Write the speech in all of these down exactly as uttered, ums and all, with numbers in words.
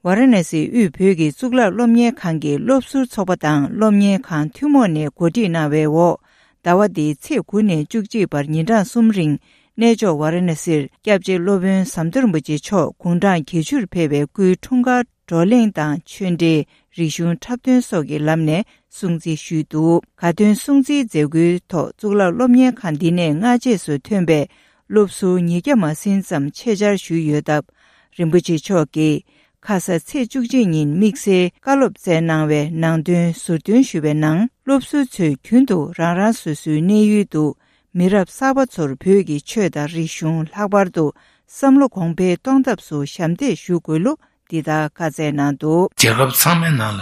ཝཱ་ར་ཎ་སིའི་དབུས་བོད་ཀྱི་གཙུག་ལག་སློབ་གཉེར་ཁང་གི་སློབ་ཟུར་ཚོགས་པ་དང་སློབ་གཉེར་ཁང་ཐུན་མོང་ནས་གོ་སྒྲིག་གནང་བའི་འོག་ཟླ་བ་འདིའི་ཚེས་དགུ་ནས་བཅུ་གཅིག་བར་ཉིན་གྲངས་གསུམ་རིང་གནས་མཆོག་ཝཱ་ར་ཎ་སིར་སྐྱབས་རྗེ་སློབ་དཔོན་ཟམ་གདོང་རིན་པོ་ཆེ་མཆོག་དགུང་གྲངས་བརྒྱད་ཅུར་ཕེབས་པའི་སྐུའི་འཁྲུངས་སྐར་བགྲོ་གླེང་དང་ཆོས་འབྲེལ་རིག་གཞུང་འཁྲབ་སྟོན་སོགས་ཀྱི་ལམ་ནས་སྲུང་བརྩི་ཞུས་འདུག་དགའ་སྟོན་སྲུང་བརྩིའི་མཛད་སྒོའི་ཐོག་གཙུག་ལག་སློབ་གཉེར་ཁང་འདི་ནས་སྔ་རྗེས་སུ་ཐོན་པའི་སློབ་ཟུར་ཉིས་བརྒྱ་མ་ཟིན་ཙམ་ཆེད་བཅར་ཞུས་ཡོད་སྟབས། རིན་པོ་ཆེ་མཆོག་གིས་ཁ་ས་ཚེས་བཅུ་གཅིག་ཉིན་དམིགས་བསལ་བཀའ་སློབ་སྩལ་གནང་བའི་ནང་དོན་ཟུར་འདོན་ཞུས་པའི་ནང་། སློབ་ཟུར་ཚོས་རྒྱུན་དུ་རང་རང་སོ་སོའི་གནས་ཡུལ་དུ་མི་རབས་གསར་པ་ཚོར་བོད་ཀྱི་ཆོས་དང་རིག་གཞུང་ལྷག་པར་དུ་བསམ་བློ་གོང་འཕེལ་གཏོང་ཐབས་སུ་ཞབས་འདེགས་ཞུ་དགོས་ལུགས་འདི་ལྟར་བཀའ་སྩལ་གནང་འདུག་རྒྱལ་ཁབ་ཚང་མའི་ནང་ལ་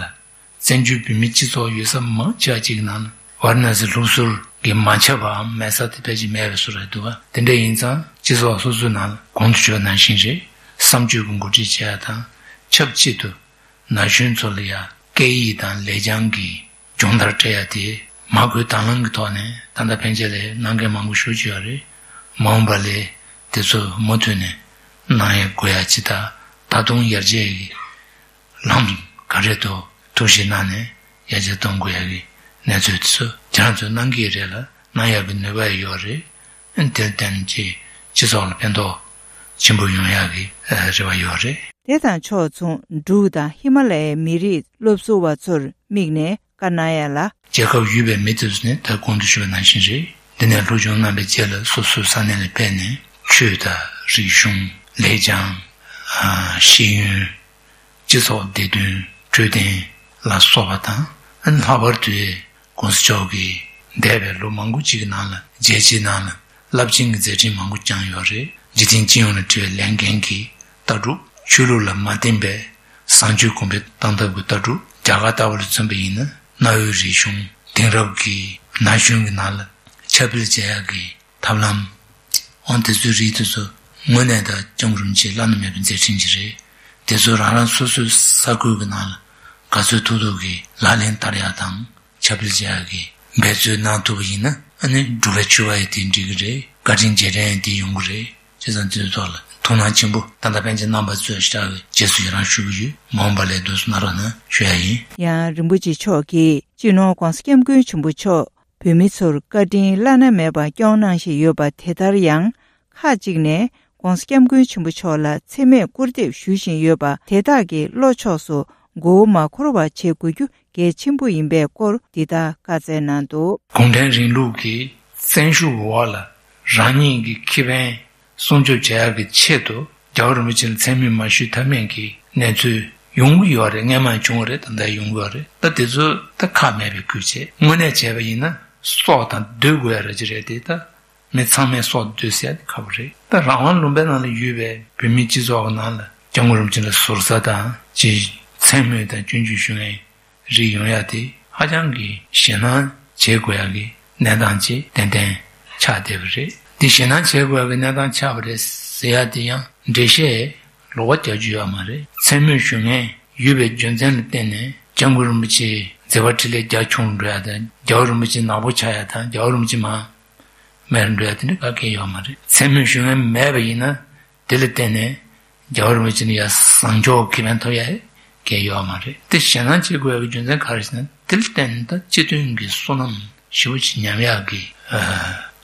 བཙན་བྱོལ་བོད་མིའི་སྤྱི་ཚོགས་ཡོད་ས་མང་ཆེ་བ་ཅིག་ནང་ལ་ཝཱ་ར་ཎ་སི་ལུགས་སྲོལ་གྱི་མ་ཁྱབ་པའམ་མེད་ས་དེ་ཕལ་ཆེར་མེད་པའི་བཟོ་འདྲ་འདུག་ག་དེ་འདྲ་ཡིན་ཙང་སྤྱི་ཚོགས་སོ་སོའི་ནང་ལ་གོང་དུ་ཞུས་པ་ནང་བཞིན་རེད། བསམ་སྤྱོད་ཀྱི་འགོ་ཁྲིད་བྱེད་ཡ་དང་ཆབས་ཅིག་ཏུ་ན་གཞོན་ཚོ་ལ་ཡ་སྐད་ཡིག་དང་ལེགས་བྱང་གི་སྦྱོང་བརྡར་སྤྲད་ཡ་དེ་མ་དགོས་དང་བླངས་ཀྱི་ཐོག་ནས་ད་ལྟ་ཕན་ཆད་ལས་གནང་མཁན་མང་པོ་ཞེ་པོ་ཅིག་ཡོད་རེད། མ་འོངས་པ་ལས་དེ་ཚོ་མུ་མཐུད་ནས་གནང་ཡ་དགོས་ཡ་ཅིག་དང་ད་དུང་ཡར་རྒྱས་ཀྱི་ལམ་ག་རེ་འདུག་ཐུགས་ཞིབ་གནང་ནས་ཡར་རྒྱས་གཏོང་དགོས་ཡ་གི་གནས་ཚུལ་དེ་ཚོ་ཁྱེད་རང་ཚོས་གནང་གི་རེད་ལ་གནང་ཡ་གི་ནུས་པ་ཡོད་རེད། དེར་བརྟེན་གྱི་སྤྱི་ཚོགས་ལ་ཕན་ཐོགས་ཆེན་པོ་ཡོང་ཡག་གི་རེ་བ་ཡོད་རེད། དེ་དང་ཕྱོགས་མཚུངས་འབྲུག་དང་ཧི་མ་ལ་ཡའི་མི་རིགས་སློབ་ཟུར་བ་ཚོར་དམིགས་ནས་བཀའ་གནང་ཡ་ལ། རྒྱལ་ཁབ་ཡུལ་བའི་མི་དེ་ཚོ་ནི་ད་གོང་དུ་ཞུས་པ་ནང་བཞིན་རེད། འདི་ནས་སློབ་སྦྱོང་གནང་བའི་རྗེས་ལ་སོ་སོའི་ས་གནས་ལ་ཕེབས་ནས་ཆོས་དང་རིག་གཞུང་ལེགས་བྱང་ཤེས་ཡོན་སྤྱི་ཚོགས་བདེ་དོན་འཕྲོད་བསྟེན་ལ་སོགས་པ་དང་ལྷག་པར་དུ་༸གོང་ས་མཆོག་གིས་འདས་པའི་ལོ་མང་པོ་ཅིག་གི་ནང་ལ་རྒྱལ་སྤྱིའི་ནང་ལ་རླབས་ཆེན་གྱི་མཛད་འཕྲིན་མང་པོ་བསྐྱངས་ཡོད་རེད། འཇིག་རྟེན་སྤྱི་ཡོངས་ལ་དྲི་བའི་ལས་འགན་གྱི་ལྟ་གྲུབ། ཆོས་ལུགས་ལ་མ་བརྟེན་པའི་བཟང་སྤྱོད་གོང་འཕེལ་གཏང་ཐབས་ཀྱི་ལྟ་གྲུབ། རྒྱ་གར་ལྟ་བུ་ལ་མཚོན་པ་ཡིན་ན་གནའ་བོའི་རིག་གཞུང་དེང་རབས་ཀྱི་ན་གཞོན་གྱི་ནང་ལ་ཁྱབ་སྤེལ་བྱེད་ཡག་གི་ཐབས་ལམ། འོ་དེ་ཚོའི་རིགས་དེ་ཚོ་དངོས་གནས་ད་སྐྱབས་མགོན་རིན་པོ་ཆེའི་བླ་ན་མེད་པའི་མཛད་འཕྲིན་ཅིག་རེད། དེ་ཚོ་རང་རང་སོ་སོའི་ས་ཁུལ་གྱི་ནང་ལ་ག་ཚོད་ཐུབ་ཐུབ་ཀྱིས་ལག་ལེན་བསྟར་ཡག་དང་ཁྱབ་སྤེལ་བྱེད་ཡག་གི་འབད་རྩོལ་གནང་ཐུབ་པ་ཡིན་ན་ཨ་ནི་འབྲུག་པའི་ཕྱུ་པ་ཡི་དེ་འགྲིག་གི་རེད། བཀའ་དྲིན་རྗེས་དྲན་ཡི་དེ་ཡོང་གི་རེད། བྱས་ཙང་དེ་ཚོའི་ཐོག་ལ་ཐུགས་སྣང་ཆེན་པོ་ད་ལྟ་ཕན་ཆད་གནང་བ་ཚོས་ཞེ་དྲག་གི་རྗེས་སུ་ཡི་རང་ཞུ་གི་ཡོད། མ་འོངས་པ་ལས་དུས་སུ་གནང་རོགས་གནང་ཞུ་ཡ་ཡིན། ཡང་རིན་པོ་ཆེ་མཆོག་གིས་སྤྱི་ནོར་༸གོང་ས་༸སྐྱབས་མགོན་ཆེན་པོ་མཆོག་བོད་མི་ཚོར་བཀའ་དྲིན་བླ་ན་མེད་པ་སྐྱོང་གནང་བཞིན་ཡོད་པ་དེ་ལྟར་ཡང་ཁག་ཅིག་ནས་༸གོང་ས་༸སྐྱབས་མགོན་ཆེན་པོ་མཆོག་ལ་མཚན་སྨད་སྐུར་འདེབས་ཞུ་བཞིན་ཡོད་པ་དེ་དག་གི་བློ་ཕྱོགས་སུ་མགོ་བོ་མ་འཁོར་བ་བྱེད་དགོས་རྒྱུ་གལ་ཆེན་པོ་ཡིན་པའི་སྐོར་འདི་ལྟར་བཀའ་སྩལ་གནང་འདུག་གུང་ཁྲན་རིང་ལུགས་ཀྱི་བཙན་ཤུགས་འོག་ལ་རང་ཉིད་ཀྱི་ཁེ་ཕན་སྲུང་སྐྱོབ་བྱ་ཡག་གི་ཆེད་དུ་རྒྱལ་བ་རིན་པོ་ཆེ་ལ་མཚན་སྨོད་མ་ཞུས་ཐབས་མེད་ཀྱི་གནས་ཚུལ་ཡོང་གི་ཡོད་རེད། སྔན་མ་བྱུང་བ་རེད། ད་ལྟ་ཡོང་གི་ཡོད་རེད། ད་དེ་ཚོ་ད་ཁག་མེད་པའི་ཁུལ་བྱས་དངོས་གནས་བྱས་པ་ཡིན་ན་སྲོག་དང་བསྡོས་དགོས་ཡ་ར་ཅིག་རེད་དེ། ད་མི་ཚང་མས་སྲོག་བསྡོས་ཟེར་ཡ་དེ་ཁག་པོ་རེད། ད་རང་དབང་ལུང་པའི་ནང་ལ་ཡོད་པའི་བོད་མིའི་སྤྱི་ཚོགས་ཀྱི་ནང་ལ་༸སྐྱབས་མགོན་རིན་པོ་ཆེ་ལ་ཟུར་ཟ་དང་ཅིག་མཚན་སྨོད་དང་སྐྱོན་བརྗོད་ཞུ་མཁན་རིགས་ཡོང་ཡ་དེ་ཧ་ཅང་གི་ཞེད་སྣང་བྱེད་དགོས་ཡ་གི་གནས་སྟངས་ཅིག་ཏན་ཏན་ཆགས་བསྡད་པ་རེད། དེ་ཞེད་སྣང་བྱེད་དགོས་ཡ་གི་གནས་སྟངས་ཆགས་པ་རེད་ཟེར་ཡ་དེ་ཡང་འགྲེལ་བཤད་ལོགས་ཀ་རྒྱག་རྒྱུ་ཡོད་མ་རེད། མཚན་སྨོད་ཞུ་མཁན་ཡོད་པའི་རྒྱུ་མཚན་ལ་བརྟེན་ནས་༸སྐྱབས་མགོན་རིན་པོ་ཆེའི་མཛད་པ་འཕྲིན་ལས་རྒྱ་ཆུང་འགྲོ་ཡ་དང་རྒྱལ་བ་རིན་པོ་ཆེ་ནག་པོ་ཆགས་ཡ་དང་རྒྱལ་བ་རིན་པོ་ཆེ་མར་མེད་འགྲོ་ཡ་དེ་འདྲ་ག་གེ་ཡོད་མ་རེད། མཚན་སྨོད་ཞུ་མཁན་མེད་པ་ཡིན་ན་དེ་ལ་བརྟེན་ནས་རྒྱལ་བ་རིན་པོ་ཆེ་ནས་ཡ་བཟང་ཕྱོགས་ཁེ་ཕན་ཐོབ་ཡ་གང་ཡང་ཡོད་མ་རེད། དེ་ཞེད་སྣང་བྱེད་དགོས་ཡ་གི་རྒྱུ་མཚན་ག་རེ་ཟེར་ན་དེ་ལ་བརྟེན་ནས་ད་སྤྱི་མཐུན་གྱི་བསོད་ནམས་ཞེ་པོ་ཅིག་ཉམས་ཡག་གི་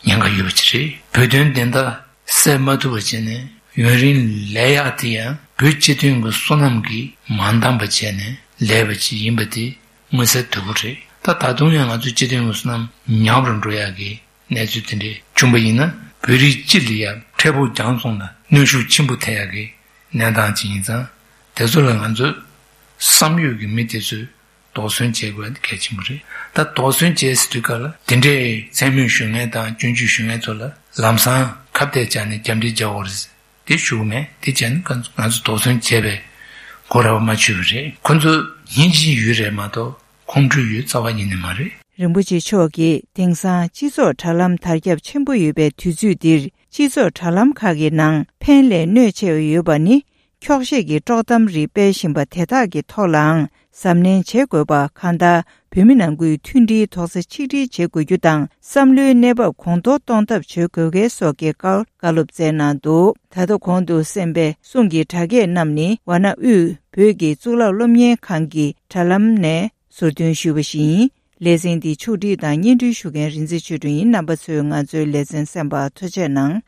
ཉེན་ཁ་ཡོད་པ་ཅིག་རེད། བོད་དོན་བདེན་མཐའ་གསལ་མ་ཐུབ་པ་བྱས་ནས་ཡུན་རིང་ལས་ཡག་དེ་ཡང་བོད་སྤྱི་མཐུན་གྱི་བསོད་ནམས་ཀྱིས་མ་འདང་བ་བྱས་ནས་ལས་པ་ཅིག་ཡིན་པ་དེ་མངོན་གསལ་དོད་པོ་རེད། ད་ད་དུང་ཡང་ང་ཚོའི་སྤྱི་མཐུན་གྱི་བསོད་ནམས་ཉམས་རུ་འགྲོ་ཡག་གི་གནས་ཚུལ་དེ་འདྲའི་བྱུང་པ་ཡིན་ན་བོད་རིགས་སྤྱི་ལ་ཡང་འཕྲལ་ཕུགས་རྒྱང་སོང་ལ་གནོན་ཤུགས་ཆེན་པོ་ཐེབས་ཡག་གི་གནས་སྟངས་ཅིག་ཡིན་ཙང་དེ་ཚོ་ལ་ང་ཚོ་བསམ་ཡོད་ཀྱི་མི་དེ་ཚོས་དོགས་ཟོན་བྱེད་དགོས་པ་གལ་ཆེན་པོ་རེད། ད་དོགས་ཟོན་བྱེད་ཟེར་དུས་སྐབས་ལ་དེ་འདྲའི་མཚན་སྨོད་ཞུ་མཁན་དང་སྐྱོན་བརྗོད་ཞུ་མཁན་ཚོ་ལ་ལམ་སང་ཁ་གཏད་བཅག་ནས་རྒྱབ་འདྲེ་རྒྱག་དགོས་རེད་དེ་ཞུ་གི་མེད། དེ་བྱས་ན་ང་ཚོ་དོགས་ཟོན་བྱས་པའི་གོ་ར་བ་མ་ཆོད་པ་རེད། ཁོ་ཚོ་སྙིང་རྗེ་ཡོད་རེད་མ་གཏོགས། ཁོང་ཁྲོའི་ཡུལ་རྩ་བ་ཉིད་ནས་མ་རེད། རིན་པོ་ཆེ་མཆོག་གིས་དེང་སང་སྤྱི་ཚོགས་དྲ་ལམ་དར་ཁྱབ་ཆེན་པོ་ཡོད་པའི་དུས་ཚོད་འདིར་སྤྱི་ཚོགས་དྲ་ལམ་ཁག་གི་ནང་ཕན་ལས་གནོད་ཆེ་བ་ཡོད་པ་ནི་འཁྱོག་བཤད་ཀྱི་དཀྲོག་གཏམ་རིགས་སྤེལ་བཞིན་པ་དེ་དག་གི་ཐོག་ལའང་གཟབ་ནན་བྱེད་དགོས་པ་གང་ལྟར་ བོད་མི་ནང་ཁུལ་མཐུན་སྒྲིལ་རྡོག་རྩ་ཆིག་སྒྲིལ་བྱེད་དགོས་རྒྱུ་དང་། བསམ་བློའི་གནས་བབ་གོང་མཐོར་གཏོང་ཐབས་བྱེད་དགོས་གལ་སོགས་ཀྱི་སྐོར་བཀའ་སློབ་སྩལ་གནང་འདུག་ད་ལྟ་གོང་དུ་གསན་པའི་གསུང་གི་སྒྲ་སྐད་རྣམས་ནི་ཝཱ་ཎ་དབུས་བོད་ཀྱི་གཙུག་ལག་སློབ་གཉེར་ཁང་གི་དྲ་ལམ་ནས་ཟུར་འདོན་ཞུས་པ་ཞིག་ཡིན། ལེ་ཚན་འདི་ཕྱོགས་སྒྲིག་དང་སྙན་སྒྲོན་ཞུ་མཁན་རིག་འཛིན་ཆོས་སྒྲོན་ཡིན། རྣམ་པ་ཚོས་ང་ཚོའི་ལེ་ཚན་གསན་པར་ཐུགས་རྗེ་གནང་།